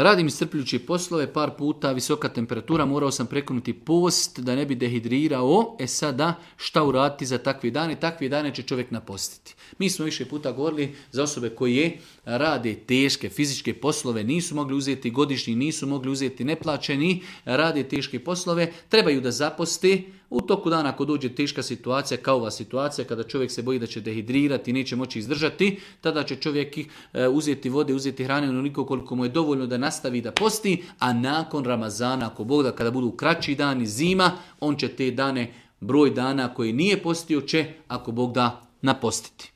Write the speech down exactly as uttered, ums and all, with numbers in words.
Radim iscrpljujuće poslove, par puta visoka temperatura, morao sam prekinuti post da ne bi dehidrirao. E sada, šta uraditi za takve dane? Takve dane će čovjek napostiti. Mi smo više puta govorili za osobe koje rade teške fizičke poslove, nisu mogli uzeti godišnji, nisu mogli uzeti neplaćeni, rade teške poslove, trebaju da zaposte. U toku dana ako dođe teška situacija, kao ova situacija, kada čovjek se boji da će dehidrirati i neće moći izdržati, tada će čovjek uzeti vode, uzeti hrane onoliko koliko mu je dovoljno da nastavi da posti, a nakon Ramazana, ako Bog da, kada budu kraći dani, zima, on će te dane, broj dana koji nije postio će, ako Bog da, napostiti.